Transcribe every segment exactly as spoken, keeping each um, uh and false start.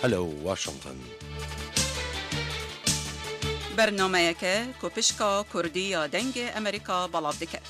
Hello Washington. Bernameyeke ku pişka Kurdî ya Dengê Amerîka belav diket.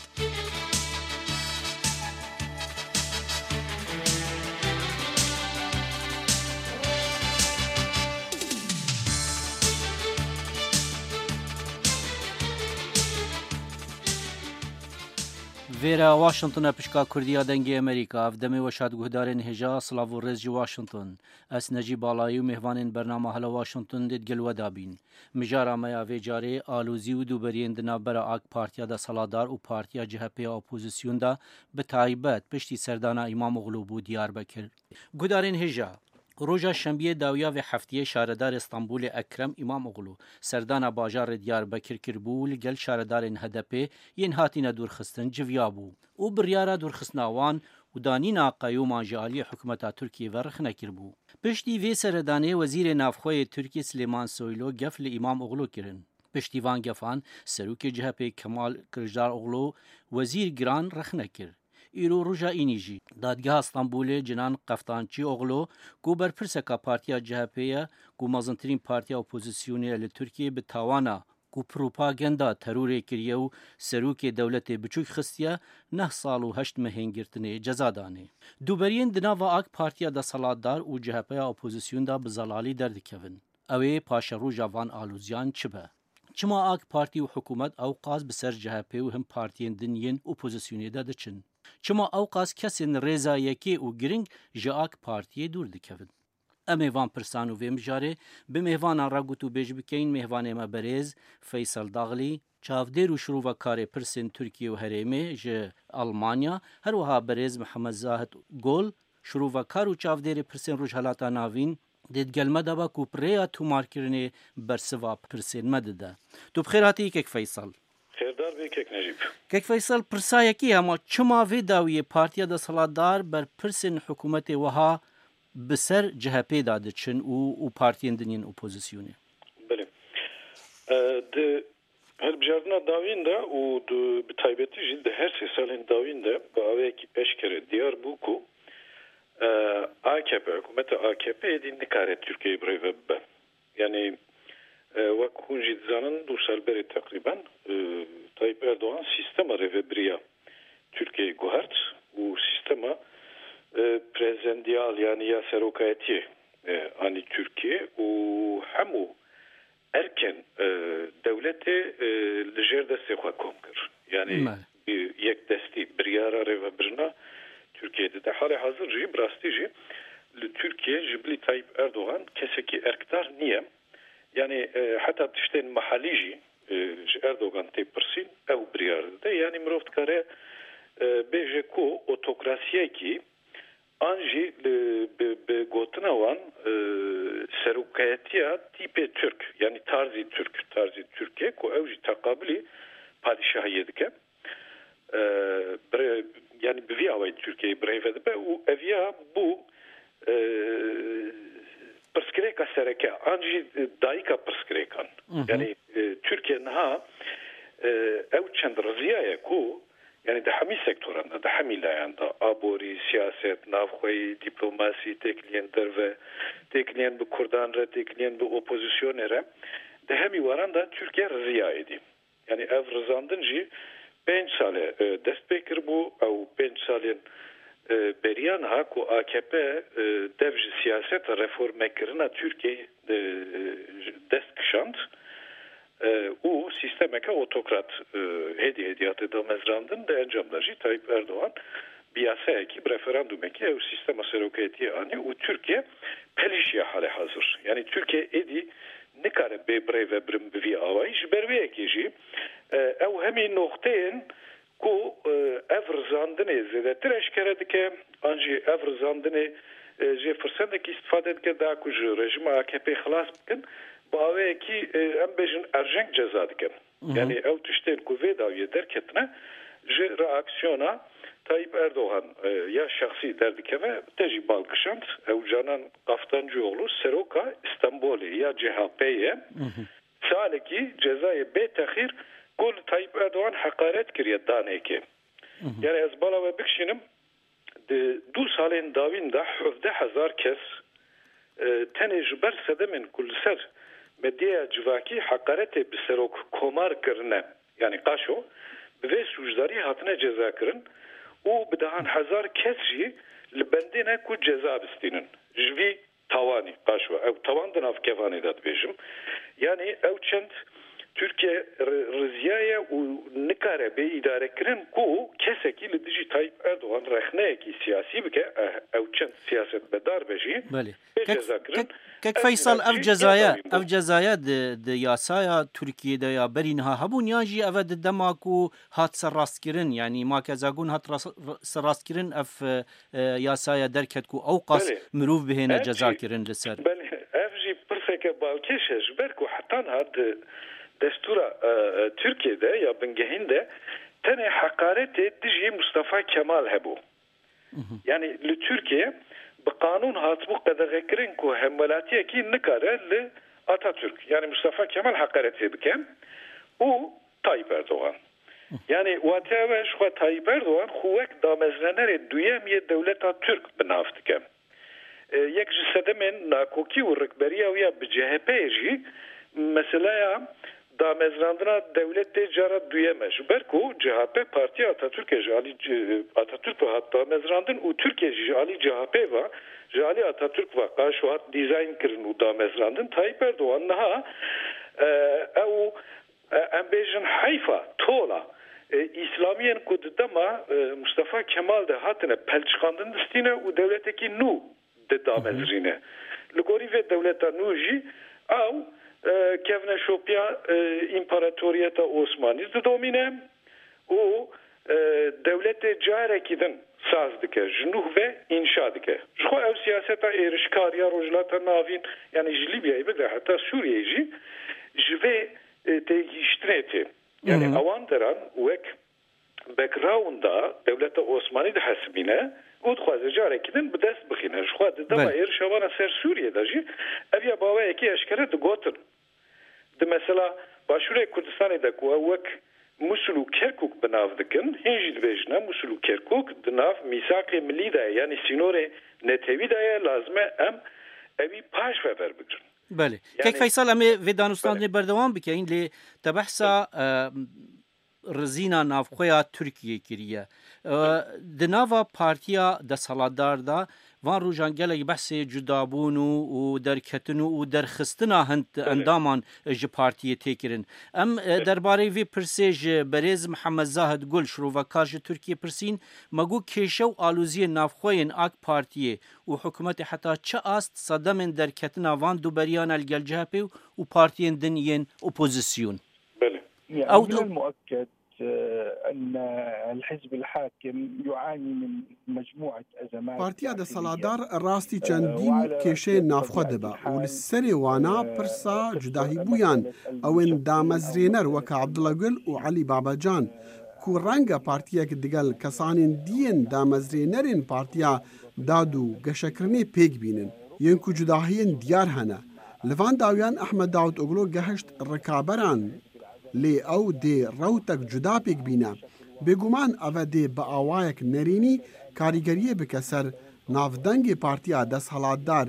Vêre Washington e, pişka Kurdî ya Dengê Amerîka. Ev demê weşat guhdarên hêja, silav û rêz ji Washington. Ez Necîb Balayî û mêvanên bernama Hello Washington dê digel we de bîn. Mijara me ya vê carê alozî û dûberiyên di navbera A K Partiya desthilatdar û Partiya C H P ya opozîsyon de, bi taybet piştî serdana Îmamoglû bû Diyarbekir. Guhdarên hêja, roja şembiyê dawiya vê heftiyê şaredarê Stenbolê Ekrem Îmamoglû serdana bajarê Diyarbekir kiribû û li gel şaredarên H D P yên hatîne dûrxistin civiyabû û biryara dûrxistina wan û danîna qeyûman ji aliyê hikûmeta Tirkiyê ve rexne kiribû. Piştî vê seredanê Wezîrê Navxwe yê Tirkiyê Silêman Soylu gef li Îmamoglû kirin. Piştî van gefan Serokê C H P Kemal Kiliçdaroglu wezîr giran rexne kir. Îro roja înî jî Dadgeha Stenbolê Cenan Qeftançîoglu, ku berpirseka Partiya C H P ye, ku mezintirîn partiya opozîsyonê ye li Tirkiyê, bi tawana ku propaganda terorê kiriye û serokê dewletê biçûk xistiye, neh sal û heşt mehên girtinê ceza danê. Dûberiyên di nava A K Partiya desthilatdar û C H P ya opozîsyon de bi zelalî derdikevin. Ew ê paşeroja van aloziyan çi be? Çima A K Partî û hikûmet ewqas bi ser C H P û hin partiyên din yên opozîsyonê de diçin? Çima ewqas kesên rêza yekê û giring ji A K Partiyê dûr dikevin? Em ê van pirsan û vê mijarê bi mêvanan re gotûbêj bikeyin. Mêvanê me berêz Feysel Daxlî, çavdêr û şirovekarê pirsên Tirkiye û herêmê ji Almanya, her wiha berêz Mihemed Zahid Gol, şirovekar û çavdêrê pirsên Rojhelata Navîn, dê digel me de be ku rêya tomarkirinê bersiva pirsên me dide. Tu bi xêr hatî kek Feysel. Xêrdar bî kek Necîb. Kek Feysel, pirsa yekê hema çima vê dawiyê partiya desthilatdar berpirsên hikûmetê wiha bi ser C H P de diçin û, û partiyên din yên opozîsyonê? Belê. E, di hilbijartina dawîn de û di, bi taybetî jî di her sê salên dawîn de bi awayekî eşkere diyar bû ku, e, A K P, hikûmeta A K P êdî nikare Tirkiyeyê bi rê ve bibe. Yanî, e, wek hûn jî dizanin, du sal berê teqrîben, e, Tayyip Erdogan sîstema rêvebiriya Tirkiyeyê guhert û sîstema, e, prezendiyal, yanî ya serokayetiyê, e, anî Tirkiye û hemû erkên, e, dewletê, e, li jêr destê xwe kom kir. Yanî, bi yekdestî biryara rêvebirina Tirkiyê dide. Halê hazir jî, bi rastî jî li Tirkiye ji bilî Tayyip Erdogan kesekî erkdar niye. Yanî, e, heta tiştên mehalî jî, e, ji Erdogan tê pirsîn, ew biryar dide. Yanî mirov dikare, e, bêje ku otokrasiyekî an jî li, bi, bi gotina wan, e, serokayetiya tîpê Tirk, yanî tarzî Tirk, tarzî Tirkê ku ew jî teqabilî padîşahiyê dike. E, bire-, yanî bi vî awayî Tirkiyeyê bi rê ve dibe û eviya bû, e, pirsgirêka sereke, an jî dayika pirsgirêkan. Hı hı. Yanî, e, Tirkiye niha, e, ew çend riziyaye ku, yanî di hemî sektoran de, di hemî layan de, aborî, siyaset, navxweyî, dîplomasî, têkiliyên derve, têkiliyên bi kurdan re, têkiliyên bi opozîsyonê re, di hemî waran de Tirkiye riziya êdî. Yanî ev rizandin jî pênc sal e, e, dest pê kiribû. Ew pênc salên, e, beriya niha ku A K P, e, dev ji siyaseta reformekirina Tirkiyeyê, e, dest kişand, e, û sîstemeke otokrat, e, hêdî hêdî hate damezrandin. Di encam de jî Tayyip Erdogan bi yasayekî, bi referandumekî ew sîstema serokayetiyê anî û Tirkiye pelişiya halê hazir. Yanî Tirkiye êdî nikare bê birêvebirin bi vî awayî. Ji ber vê yekê jî, e, ew hemî noqteyên ku, e, ev rizandinê zêdetir eşkere dike, an jî ev rizandinê, e, jê firsetekî îstifade dike, da ku ji rejîma A K P xilas bikin, bi awayekî, e, em bêjin erjeng ceza dikin. Hı hı. Yanî ew tiştên ku vê dawiyê derketine ji reaksiyona Tayyip Erdogan, e, ya şexsî derdikeve, te jî bal kişand. Ew Canan Kaftancıoğlu seroka Stenbolê ya C H P ye. Hı hı. Salekî cezayê bê texîr ku li Tayyip Erdogan heqaret kiriye danekê. Hı hı. Yanî ez bala we bikişînim, di du salên dawîn de hevdeh hezar kes E, tenê ji ber sedemên ku li ser medyaya civakî heqaretê bi serok komar kirine, yanî Qaşo, bi vê sûcdarî hatine cezakirin û bi dehan hezar kes jî li bendê ne ku ceza bistînin. Ji vî tawanî, Qaşo, ew tawan di nav kevanê de dibêjim. Yanî ew çend Tirkiye ri-, riziyaye û nikare bê îdarekirin ku kesekî li dijî Tayyip Erdogan rexneyekî siyasî bike, eh, ew çend siyasetmedar be jî, Belê. bê Kek, cezakirin. kek, kek Ev Feysal, ev cezayî cezaya, ev cezaya di, di yasaya Tirkiyê de ya berî niha hebûn, yan jî ev e di dema ku hat serrastkirin, yanî Makezagun hat ras-, serrastkirin, ev, e, e, yasaya derket ku ew qas Belê. mirov bihêne Ev jî, cezakirin li ser. belê, ev jî pirseke balkêş e, ji ber ku heta niha di destûra, e, e, Tirkiyê de ya bingehîn de tenê heqaretê dijî Mustafa Kemal hebû. Mhm. Yanî li Tirkiyê bi qanûn hatibû qedexekirin ku hemwelatiyekî nikare li Atatürk, yanî Mustafa Kemal heqaretê bike û Tayyip Erdogan. Yanî wateya we ji xwe Tayyip Erdogan xwe wek damezranerê duyem yê dewleta Tirk bi nav dike. E, yek ji sedemên nakokî û rikberiya wî ya bi C H P'yê jî meseleya damezrandina dewletê cara duyem e. Ji ber ku C H P partiya Atatürk'e ji alî C-, Atatürk ve hat damezrandin û Tirkiye jî ji alî C H P ve, ji alî Atatürk ve qaşo hat dîzayn kirin û damezrandin. Tayyip Erdogan niha, e, ew E, em bêjin heyfa, tola, e, îslamiyên ku di dema, e, Mustafa Kemal de hatine pelçiqandin distîne û dewletekî nû di damezrîne. Li gorî vê dewleta nû jî ew, e, kevneşopiya, e, împaratoriyeta Osmanî didomîne û, e, dewletê carekî din saz dike, ji nû ve înşa dike. Ji xwe ew siyaseta êrişkar ya Rojhilata Navîn, yanî ji Lîbyayê bigre heta Sûriyeyê jî ji vê e, têgihiştinê tê. Yani Hı hı. ewan deran wek backgrounda dewleta Osmanî dihesibîne û dixwaze carekî din bi dest bixîne. Ji xwe di dema Belê. êrişa wana ser Sûriyê de jî ev ya baweyekî eşkere digotin. Di mesela Başûrê Kurdistanê de ku ew wek Musul û Kerkûk bi nav dikin, hîn jî dibêjine Musul û Kerkûk di nav mîsaqê milî de ye, yanî sînorê netewî de ye, lazim e em ewî paş ve verbigrin. Belê. Yani Kek Feysal, em ê vê danûstandinê Belê. berdewam bikeyin, lê te behsa, Belê. e, rizîna navxweya Tirkiyê kiriye. E, Belê. di nava partiya desthilatdar de van rojan gelek behsê cudabûn û, û derketin û, û derxistina hind Belê. endaman ji partiyê tê kirin. Em, e, Belê. derbarê vê pirsê ji berêz Mihemed Zahid Gul, şirovekar ji Tirkiyê pirsîn, me got kêşe û aloziyên navxweyên AK Partiyê û hikûmetê heta çi ast sedemên derketina van duberiyan e li gel C H P û partiyên din yên opozisyon. Belê. يعني Ew من المؤكد، آه، أن الحزب الحاكم يعاني من مجموعة أزمات Partiya داخلية. desthilatdar rastî çendîn kêşeyên navxwe dibe û li serê wana pirsa cudahîbûyan ew ên damezrêner weke Abdullah Gül û Elî Babacan ku renge partiyek digel kesanên diyên damezrênerên partiya dad û geşekirinê pêk bînin, yên ku cudahiyên diyar hene. Li van dawiyan Ehmed Davutoglu gehişt rikaberan, lê ew dê rewtek cuda pêk bîne. Bêguman ev e dê bi awayek nerênî karîgeriyê bike ser navdengê partiya desthilatdar.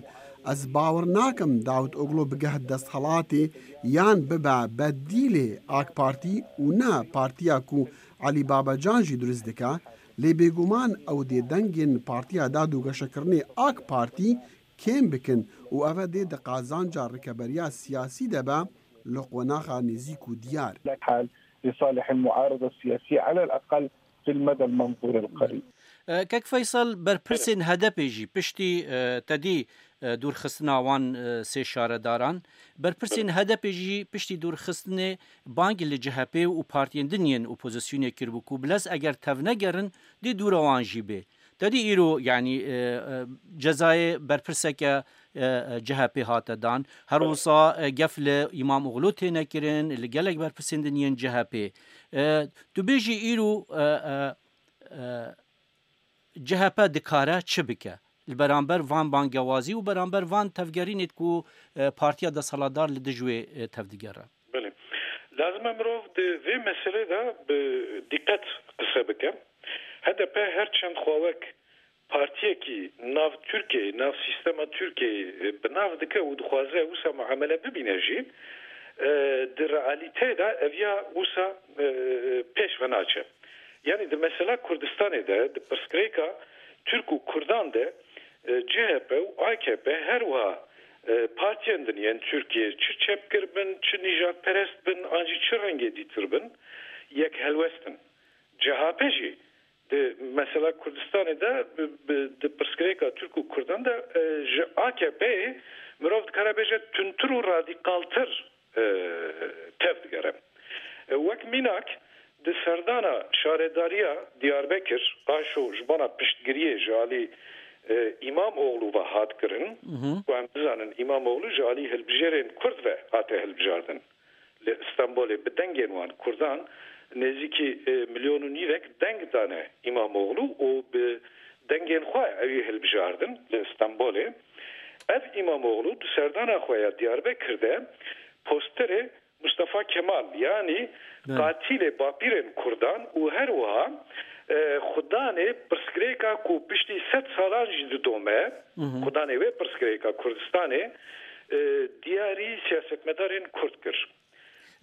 Ez bawer nakim Davutoglu bigeh desthilatê yan bibe bedîlê AK Partî û ne partiya ku Elî Babacan jî durist dike, lê bêguman ew dê dengên Partiya Dad û Geşekirinê AK Partî kêm bikin û ev e dê di qazanca rikeberiya siyasî de be li qonaxa nêzîk û diyar. الحال لصالح المعارضة السياسية على الأقل في المدى المنظور القريب. E, Kek Feysel, berpirsên H D P jî piştî, e, tedî, e, dûrxistina wan, e, sê şaredaran, berpirsên H D P jî piştî dûrxistinê bang li C H P û partiyên din yên opozisyonê kiribû ku bilez eger tevnegerin dê dûra wan jî bê. Tedî îro, yanî, e, e, cezayê berpirseke, e, e, C H P hate dan. Her wisa, e, gef li Îmamoğlu têne kirin, li gelek berpirsên din yên C H P. E, tu bêjî îro, e, e, e, C H P dikare çi bike? Li beramber van bangewazî û beramber van tevgerînê ku, e, partiya desthilatdar li dij wê, e, tevdigere. Belê. Lazim e mirov di vê meselê de bi dîqet qise bike. H D P her çend xwe wek partiyekî nav Tirkiyeyê, nav sîstema Tirkiyeyê, e, bi nav dike û dixwaze wisa muamele bibîne jî, e, di realîteyê de ev ya wisa, e, pêş ve naçe. Yanî di mesela Kurdistanê de, di pirsgirêka Tirk û Kurdan de, e, C H P û A K P her wiha, e, partiyên din yên Tirkiyê çi çepgir bin, çi nîjadperest bin, an jî çi rengê dîtir bin, yek helwest in. C H P jî di mesela Kurdistanê de bi, bi, di pirsgirêka Tirk û Kurdan de, e, ji A K P'yê mirov dikare bêje tundtir û radîkaltir, e, tev digere. E, wek mînak di serdana şaredariya Diyarbekir, aşo ji bona piştgiriyê ji alî, e, Îmamoğlu ve hat kirin, Mhm. ku em dizanin Îmamoğlu ji alî hilbijêrên Kurd ve hate hilbijardin. Li Stenbolê bi dengên wan Kurdan nêzîkî, e, milyon û nîvek deng dane Îmamoğlu û bi dengên xwe ewî hilbijardin li Stenbolê. Ev Îmamoğlu di serdana xwe ya Diyarbekir de posterê Mustafa Kemal, yanî Belê. qatilê bapîrên Kurdan û her wiha, e, xudanê pirsgirêka ku piştî sed salan jî didome, Mhm. xudanê wê pirsgirêka Kurdistanê, e, diyarî siyasetmedarên Kurd kir.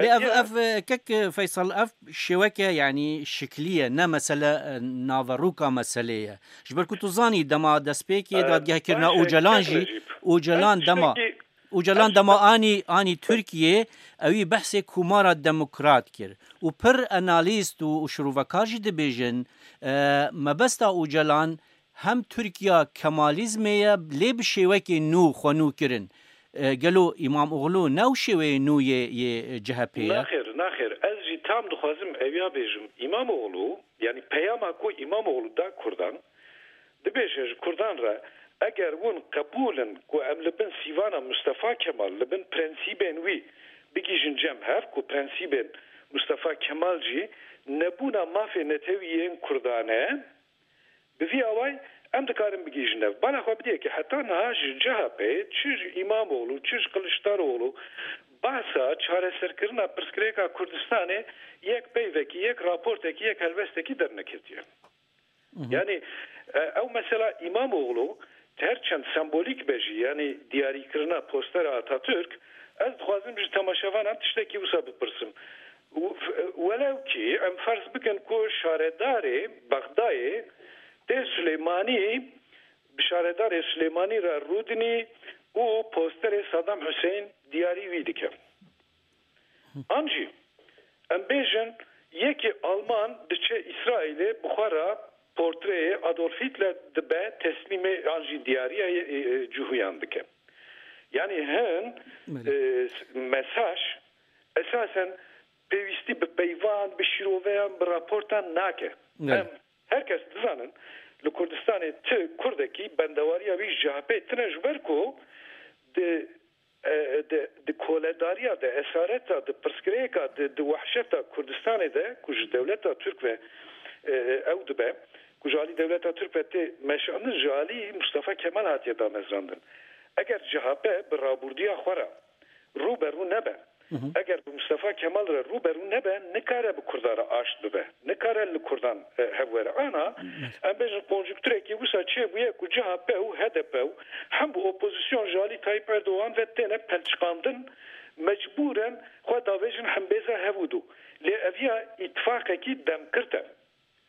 Lê ev, Etiya ev, e, kek, e, Feysel, ev şêweke, yanî şikilî ye, ne mesele, e, naverûka meselê ye. Ji ber ku tu zanî dema destpêkê E, dadgehkirina baş e, Ocalan kek jî, Recîb. Ocalan Ez dema, tiştekî, Ocalan ez dema tiştek- anî, anî Tirkiyê, ewî behsê Komara Demokrat kir. Û pir analîst û, û şirovekar jî dibêjin, e, mebesta Ocalan hem Tirkiya Kemalîzmê ye, lê bi şêwekê nû xwe nû kirin. E, gelo Îmamoğlu ne ew şêweyê nû yê, yê C H P ye? Naxêr, naxêr. Ez jî tam dixwazim eviya bêjim. Îmamoğlu, yanî peyama ku Îmamoğlu da Kurdan, dibêje ji Kurdan re, eger hûn qebûl in ku em li bin sîvana Mustafa Kemal, li bin prensîbên wî bigihîjin cem hev, ku prensîbên Mustafa Kemal jî nebûna mafê netewî yên Kurdan e, Bi vî awayî em dikarin bigihîjin hev. Bala xwe bidiyekê heta niha ji C H P'ê, çi ji Îmamoğlu, çi ji Kiliçdaroğlu, behsa çareserkirina pirsgirêka Kurdistanê yek peyvekî, yek raportekî, yek helwestekî derneketiye. Mhm. Yanî, e, ew mesela Îmamoğlu, her çend sembolîk be jî, yanî diyarîkirina postera Atatürk, ez dixwazim ji temaşevanan tiştekî wisa bipirsim. W-, welew kî em ferz bikin ku şaredarê Bexdayê tê Silêmanî, bi şaredarê Silêmanî re rûdinî û posterê Saddam Hussein diyarî wî dike. An jî, em bêjin, yekî Alman diçe Îsraîlê bi xwe re portreyê Adolf Hitler dibe teslîmê an jî diyariya, e, e, cihûyan dike. Yanî hin, Belê. e, s-, mesaj esasen pêwîstî bi peyvan, bi şîroveyan, bi raportan nake. Belê. Em her kes dizanin, li Kurdistanê ti Kurdekî bendewariya wî ji C H P tine ji ber ku di, e, di, di koledariya de, esareta, di pirsgirêka, di, di wehşeta Kurdistanê de ku ji dewleta Tirk ve, e, ew dibe, ku ji alî dewleta Tirk ve tê meşandin, ji alî Mustafa Kemal hatiye damezrandin. Eger C H P bi rabûrdiya xwe re rû be rû nebe, Mhm. eger bi Mustafa Kemal re rû be rû nebe, nikare bi Kurdan re aşt bibe, nikare li Kurdan, e, hev were. Ana, Evet. em bêjin, konjunkturekî wisa çêbûye ku C H P û H D P û hem bi opozîsyon ji alî Tayyip Erdogan ve têne pelçiqandin, mecbûren xwe davêjin hembêza hev û dû. Lê ev ya îtifaqekî demkirt e.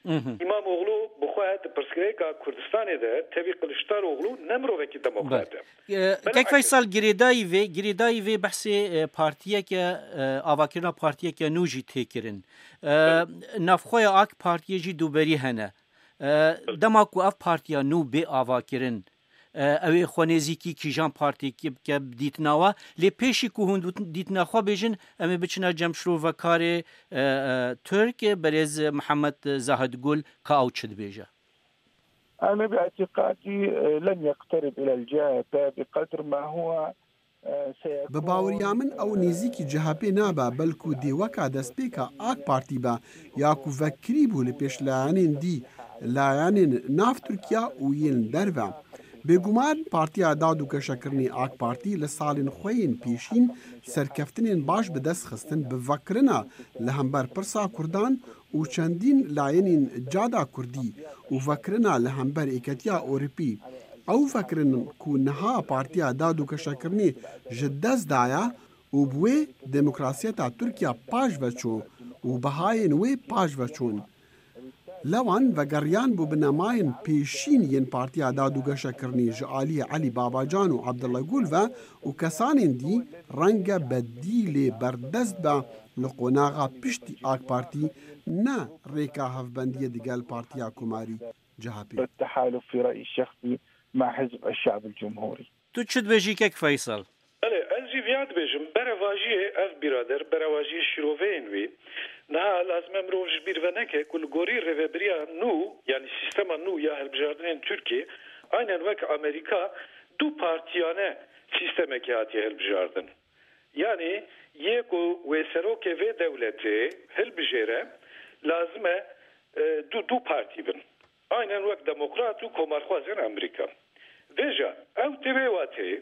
Mhm. Îmamoğlu bi xwe di pirsgirêka Kurdistanê de tevî Kiliçdaroğlu ne mirovekî demokrat e. Belê. E, Belê Kek Feysal, girêdayî vê, girêdayî vê behsê, e, partiyeke, e, avakirina partiyeke nû jî tê kirin. E, Belê. Navxweya AK Partiyê jî dûberî hene. E, Belê. Dema ku ev partiya nû bê avakirin, E, ew ê xwe nêzîkî kîjan partî ki-, bike dîtina we. Lê pêşî ku hûn dût-, dîtina xwe bêjin, em ê biçine cem şirovekarê, e, e, Tirk, berêz Mihemed Zahid Gul, ka ew çi dibêje. أنا باعتقادي، آه، لن يقترب إلى الجبهة بقدر ما هو، آه، سيكون، Bi baweriya min ew آه، nêzîkî C H P nabe, belku dê weka destpêka AK Partî be, ya ku vekirî bû li pêş layanên dî, layanên nav Tirkiya û yên derve. Bêguman Partiya Dad û Geşekirinê AK Partî li salên xwe yên pêşîn serkeftinên baş bi dest xistin bi vekirina li hember pirsa Kurdan û çendîn layenîn cada kurdî û vekirina li hember Êketiya Ewropî, ew vekirin ku niha Partiya Dad û Geşekirinê ji dest daye û bi wê demokrasiyeta Tirkiya paş ve çû û bihayên wê paş ve çûn. Lewan vegeriyan bû binemayên pêşîn yên Partiya Dad û Geşekirinê ji aliyê Elî Babacan û Abdullah Gul ve û kesanên dî renge bedîlê berdest be li qonaxa piştî AK Partî ne rêka hevbendiyê digel Partiya Komarî, C H P. التحالف في رأيي الشخصي مع حزب الشعب الجمهوري. Tu çi dibêjî kek Feysel? Belê, ez jî viya dibêjim, berevajiyê ev birader, berevajiyê şîroveyên wî, niha lazim e mirov ji bîr veneke ku li gorî rêvebiriya nû, yanî sîstema nû ya hilbijartinên Tirkiyê, aynen wek Amerîka, du partiyane sîstemekê hatiye hilbijardin. Yanî yê ku wê serokê vê dewletê hilbijêre, lazim e, e, du, du partî bin. Aynen wek demokrat û komarxwazên Amerîka. Vêca, ew tê vê wateyê,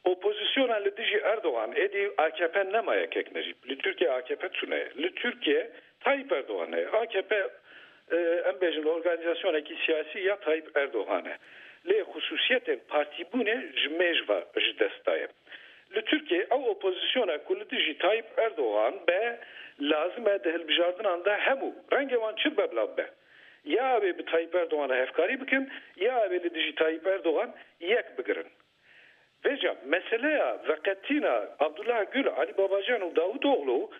opozisyona li dijî Erdogan, êdî A K P nema yekek ne jî. Li Tirkiye A K P tune ye. Li Tirkiye Tayyip Erdogan e. A K P, e, em bêjin, organîzasyonekî siyasî ya Tayyip Erdogan e. Lê xusûsiyetên partîbûnê ji mêj ve ji dest daye. Li Tirkiye ew opozisyona ku li dijî Tayyip Erdogan be, lazim e di hilbijardinan de hemû rengê wan çi be bila be. Ya ew ê bi Tayyip Erdogan re hevkarî bikin, ya ew ê li dijî Tayyip Erdogan yek bigirin. Vêca meseleya veqetîna Abdullah Gül, Alî Babacan û Davutoglu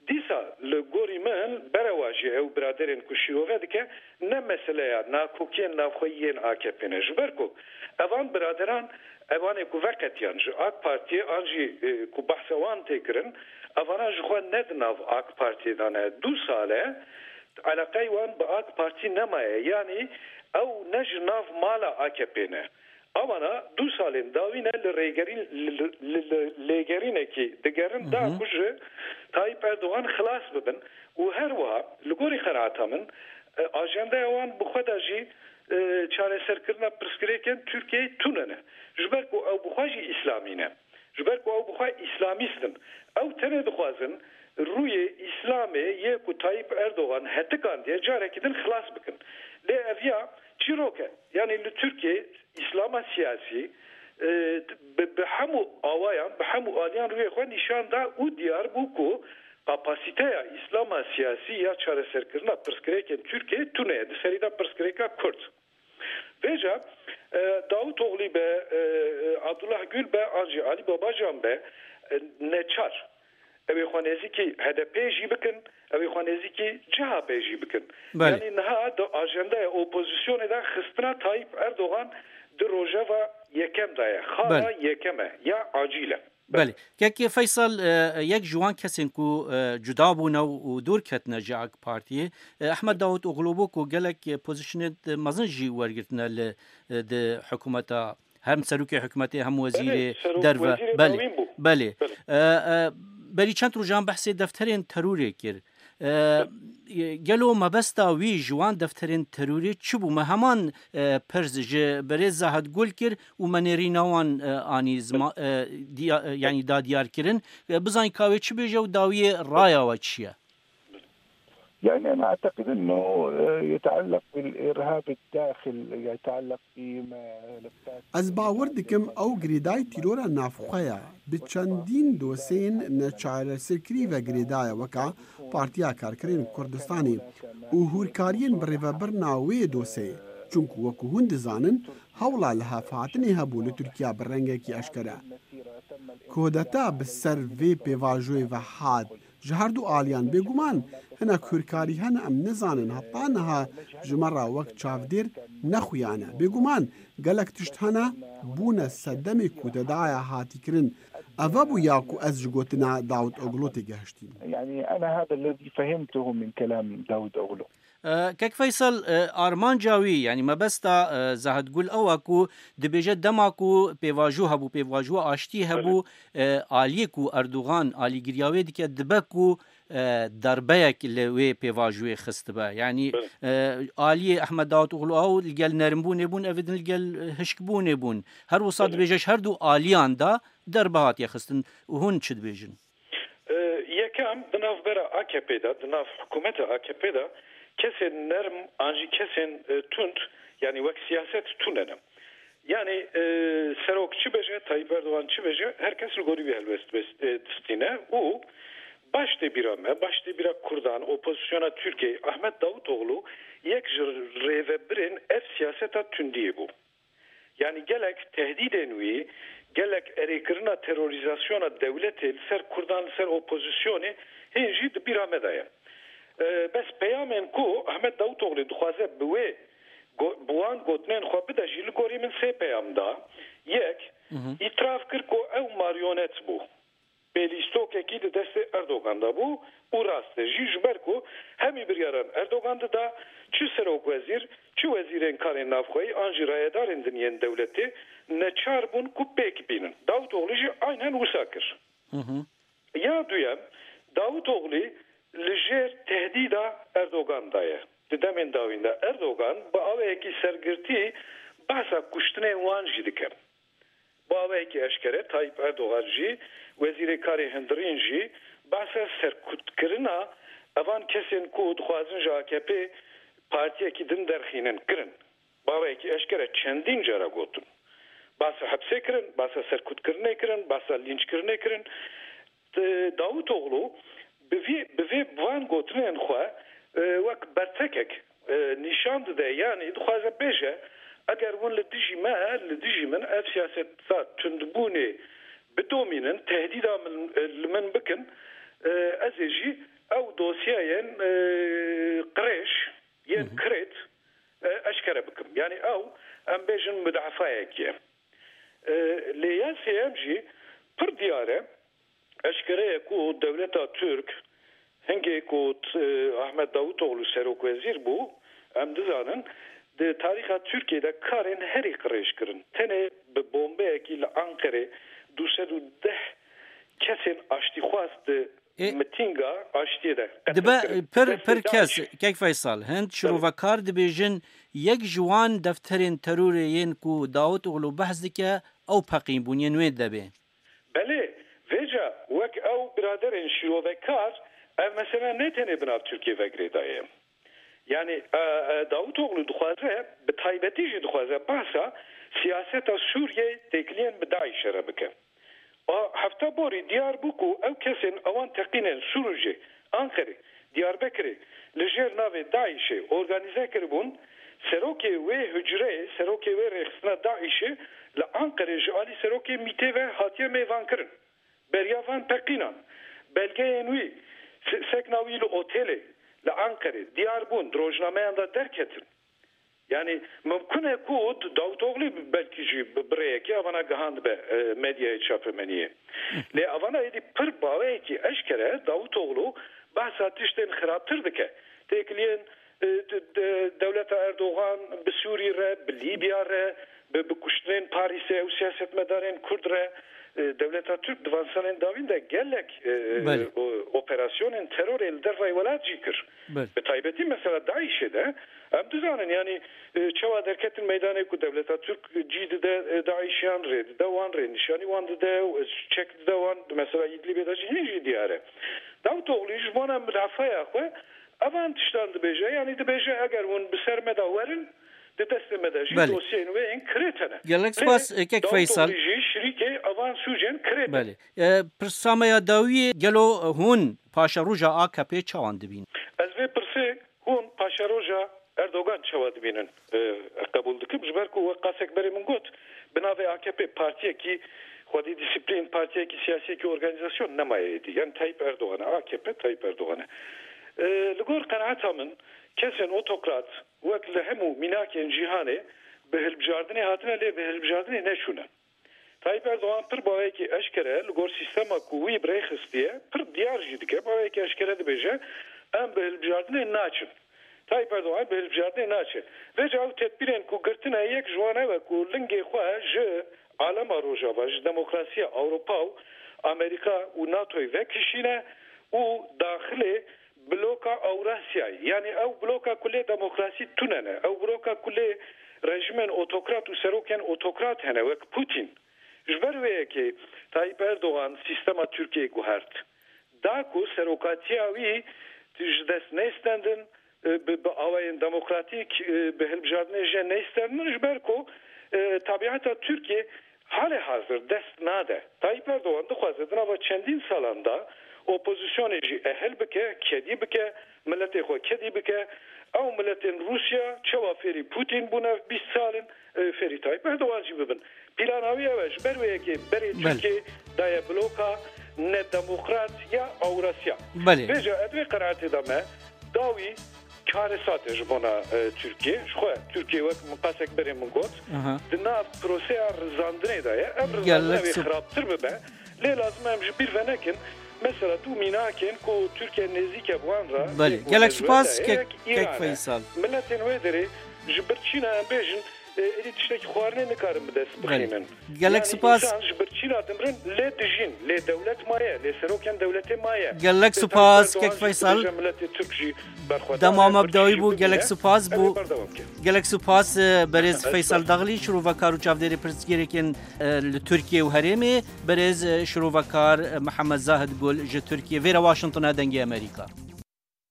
dîsa li gorî min berewajî ew biraderên ku şîrove dike, ne meseleya nakokiyên navxweyî yên A K P ne. Ji ber ku evan biraderan, evanê ku veqetiyan ji AK Partiyê an jî, e, ku behsa wan tê kirin, evana ji xwe ne di nav AK Partiyê de ne. Du sal e eleqey wan bi AK Partî nemaye. Yanî ew ne ji nav mala A K P ne. Ewana du salên dawî ne li rêgerîn, li, li, li, li lêgerînekî digerin, da ku ji Tayyip Erdogan xilas bibin û her wiha li gorî qenaeta min, e, ajendeya wan bi xwe de jî, e, çareserkirina pirsgirêkên Tirkiyeyê tune ne. Ji ber ku ew bi xwe jî îslamî ne. Ji ber ku ew bi xwe îslamîst in. Ew tenê dixwazin rûyê Îslamê yê ku Tayyip Erdogan hetikandiye carekî din xilas bikin. Lê ev ya çîrok e. Yanî li Tirkiyê Îslama siyasî, e, bi, bi hemû awayan, bi hemû aliyan rûyê xwe nîşan da û diyar bû ku kapasîteya Îslama siyasî ya çareserkirina pirsgirêkên Tirkiyê tune ye. Di serî de pirsgirêka Kurd. Vêca, e, Davutoglu be, e, e, Abdullah Gül be, an jî Alî Babacan be, e, neçar. Ew ê xwe nêzîkî H D P jî bikin, ew ê xwe nêzîkî C H P jî bikin. Belê. Yanî niha di ajendaya opozisyonê de xistina Tayyip Erdogan di rojeva yekem de ye. Xala Belê. Yekem e, ya acîl e. Belê. Kekê Feysel, e, yek ji wan kesên ku, e, cuda bûne û, û dûr ketine ji AK Partiyê, e, Ehmed Davutoglu bû ku gelek, e, pozisyonên mezin jî wergirtine li, e, di hikûmeta, hem serokê hikûmetê hem wezîrê Belê, serok derve. wezîrê Belê. Navîn bû. Belê. Belê. E, e, berî çend rojan behsê defterên terorê kir. E, gelo mebesta wî ji wan defterên terorê çi bû? Me heman, e, pirs ji birêz Zahid Gul kir û me nêrîna wan, e, anî zima-, e, diya-, e, yanî da diyar kirin. E, bizanî ka wê çi bêje û dawiyê raya we çi ye? يعني أنا أعتقد أنه يتعلق بالإرهاب الداخل، يتعلق بملفات Ez bawer dikim ew girêdayî tîrora navxwe ye. Bi çendîn doseyên neçareserkirî ve girêdaye, weka Partiya Karkerên Kurdistanê û hûrkariyên bi rêvebirina wê doseyê. Çunku wekû hûn dizanin, hewla lihevhatinê hebû li Tirkiya bi rengekî eşkere. Kudeta bi ser vê pêvajoyê ve hat. Ji her du aliyan bêguman hinek hûrkarî hene, em nizanin heta niha ji me re wek çavdêr nexuyane. Bêguman gelek tişt hene bûne sedemê kudetaya hatî kirin. Ev bû ya ku ez ji gotina Davutoglu têgehiştîm. يعني أنا هذا الذي فهمته من كلام داود أوغلو. E, Kek Feysel, e, armanca wî, yanî mebesta, e, Zahid Gul ew e ku dibêje dema ku pêvajo hebû, pêvajoya aştî hebû, Belê. e, aliyê ku Erdogan alîgiriya wê dike dibe ku, e, derbeyek li wê pêvajoyê xistibe. Yanî, Belê. e, aliyê Ehmed Davutoglu ew li gel nerimbûnê bûn, ev din li gel, e, hişkbûnê bûn. Her wisa Belê. dibêje ji her du aliyan de derbe hatiye xistin. Û hûn çi dibêjin? E, yekem, di navbera A K P de, di nav hikûmeta A K P de Kesên nerm an jî kesên e, tund, yanî wek siyaset tune ne. Yanî e, serok çi bêje, Tayyip Erdogan çi bêje, her kes li gorî wî helwest bes- e, distîne û baş tê bîra me, baş tê bîra Kurdan, opozisyona Tirkiyeyê, Ahmet Davutoğlu yek ji rêvebirên ev siyaseta tundiyê bû. Yanî gelek tehdîdên wî, gelek erêkirina terorîzasyona dewletê li ser Kurdan, li ser opozisyonê hên jî di bîra me de ye. E, bes peyamên ku Ahmet Davutoğlu dixwaze bi wê go- bi wan gotinên xwe bide jî li gorî min sê peyam da. Yek, Hı hı. îtiraf kir ku ew maryonet bû. Pêlîstokekî di destê Erdogan de bû û rast e jî, ji ber ku hemî biryaran Erdogan dida, çi serokwezîr, çi wezîrên karên navxweyî an jî rayedarên din yên dewletê neçar bûn ku pêk bînin. Davutoğlu jî aynen wisa kir. Hı hı. Ya duyem, Davutoğlu li jêr tehdîda Erdogan de ye. Di demên dawîn de Erdogan bi awayekî sergirtî behsa kuştinên wan jî dike. Bi awayekî eşkere Tayyip Erdogan jî, Wezîrê Karê Hundirîn jî behsa serkutkirina evan kesên ku dixwazin ji A K P partiyekî din derxînin kirin. Bi awayekî eşkere çendîn cara gotin. Behsa hepsê kirin, behsa serkutkirinê kirin, behsa lînçkirinê kirin. T- Davutoğlu bi vî, bi vê, bi van gotinên xwe e, wek bertekek e, nîşan dide, yanî dixwaze bêje, eger hûn li dijî me, li dijî min ev siyaseta tundbûnê bidomînin, tehdîda min, e, li min bikin, e, ez ê jî ew dosyayên e, qirêj yên Hı hı. kirêt e, eşkere bikim. Yanî ew, em bêjin, mudafayek ye. E, lê ya sêyem jî pir diyar e, eşkere ye ku dewleta Tirk, hingê ku t- Ahmet Davutoğlu serokwezîr bû, em dizanin, di tarîxa Tirkiyê de karên herî qirêj kirin. Tenê bi bombeyekî li Anqerê du sed û deh kesên aştîxwaz di Ê, mitinga aştiyê de qetil dibe kirin. Pir, destê pir kes, DAIŞê. Kek Feysal, hind Tabii. şirovekar dibêjin, yek ji wan defterên terorê yên ku Davutoğlu behs dike, ew peqîn bûn, yên wê debê. Belê, vêca wek ew biraderên şîrovekar, ev mesele ne tenê bi nav Tirkiyê ve girêdaye. Yanî, e, e, Davutoğlu dixwaze, bi taybetî jî dixwaze behsa siyaseta Sûriyeyê têkiliyên bi DAIŞ'e re bike. A, hefta borî diyar bû ku ew kesên ewan teqînên Sûrûcê, Anqerê, Diyarbekirê li jêr navê DAIŞ'ê organîze kiribûn, serokê wê hucreyê, serokê wê rêxistina DAIŞ'ê li Anqerê ji alî serokê MÎT'ê ve hatiye mêvankirin. Beriya van teqînan, belgeyên wî, se- sekna wî li otelê li Anqerê diyar bûn, di rojnameyan de derketin. Yanî mimkun e ku Davutoğlu belkî jî bi, bi rêyekê evana gihandibe e, medyaya çapemeniyê. Lê evana êdî pir baweyekî eşkere Davutoğlu behsa tiştên xirabtir dike. Têkiliyên e, de, de, dewleta Erdogan bi Sûrî re, bi Lîbya re, bi, bi kuştinên Parîsê û siyasetmedarên Kurd re, e, dewleta Tirk di van salên dawîn de gelek e, Belê. o, operasyonên terorê li dervayî welat jî kir. Belê. Bi taybetî mesela DAIŞ'ê de em dizanin, yanî e, çawa derketin meydanê ku dewleta Tirk cî dide e, DAIŞiyan, rê dide wan, rê nîşanî wan dide, e, çek dide wan, di mesela Îdlîbê de jî hîn jî diyar e. Davutoğlu ji bona mudafaya xwe evan tiştan dibêje, yanî dibêje eger hûn bi ser me de werin, di destê me de jî Belê. dosyeyên wê yên kirêt hene. Gelek Lê spas, e, kek Davutoğlu Feysal. jî şirîkê evan sûcên kirêt e. Belê. E, pirsa me ya dawiyê, gelo hûn paşeroja A K P'ê çawan dibînin? Ez vê pirsê hûn paşeroja Erdogan çawa dibînin, e, qebûl dikim. Ji ber ku wek qasek berê min got, bi navê A K P partiyekî xwedî dîsîplîn, partiyekî siyasiyekî organîzasyon nemaye êdî. Yanî Tayyip Erdogan e, A K P Tayyip Erdogan e. E, li gor qenaeta min, kesên otokrat wek li hemû mînakên cîhanê bi hilbijardinê hatine, lê bi hilbijardinê neçûne. Tayyip Erdogan pir baweyekî eşkere li gor sîstema ku wî bi rê xistiye, pir diyar jî dike, baweyekî eşkere dibêje, em bi hilbijardinê naçin. Tayyip Erdogan bi hilbijardinê naçe. Vêca ew tedbîrên ku girtine, yek ji wan ew e ku lingê xwe ji alema Rojava, ji demokrasiya Ewropa û Amerîka û NATOyê vekişîne û daxilê bloka Ewrasyayê, yanî ew bloka ku lê demokrasî tune ne, ew bloka ku lê rejimên otokrat û serokên otokrat hene, wek Putin. Ji ber wê yekê Tayyip Erdogan sîstema Tirkiyeyê guhert. Da ku serokatiya wî ji dest nêstendin, e, bi, bi awayên demokratîk, e, bi hilbijartinê jê neysterinin, ji ber ku, e, tabiata Tirkiyê halê hazir dest nade. Tayyip Erdogan dixwaze di nava çendîn salan de opozisyonê jî ehil bike, kedî bike, miletê xwe kedî bike. Ew miletên Rûsya çawa fêrî Putin bûne bîst sal in, e, fêrî Tayyip Erdogan jî bibin. Plana wî ew e, ji ber wê yekê berê Belê. Tirkiyê daye bloka nedemokrat ya Ewrasya. Belê. Vêca ez vê qenaetê de me, dawî karesat e ji bona, e, Tirkiyê. Ji xwe Tirkiye wek min qasek berê min got, Aha. Di nav proseya rizandinê de ye. Ev rizandine Gelek wê sip- xirabtir bibe. Lê lazim e em ji bîr venekin. Mesela du mînakên ku Tirkiye nêzîk e bi wan re, Belê. Gelek spas, kek, kek Feysal. Miletên wê derê ji birçîna em bêjin, e, êdî tiştekî xwarinê nikarin bi dest Belê. bixînin. Gelek Yani spas. insan ji birçîna dimrin lê dijîn, lê dewlet maye, lê serokên dewletê maye. Gelek Lê spas, Tayyip Erdogan kek jî Feysal. dibêje miletê Tirk jî berxwedar Dema e, me bi dawî birçî bû, bibîne. gelek spas Em ê bû. berdewam bikin. Gelek spas, e, berêz Feysal Daxlî, şirovekar û çavdêrê pirsgirêkên, e, li Tirkiye û herêmê, berêz, e, şirovekar, e, Mihemed Zahid Gul ji Tirkiye. Vêre Washington e, Dengê Amerîka.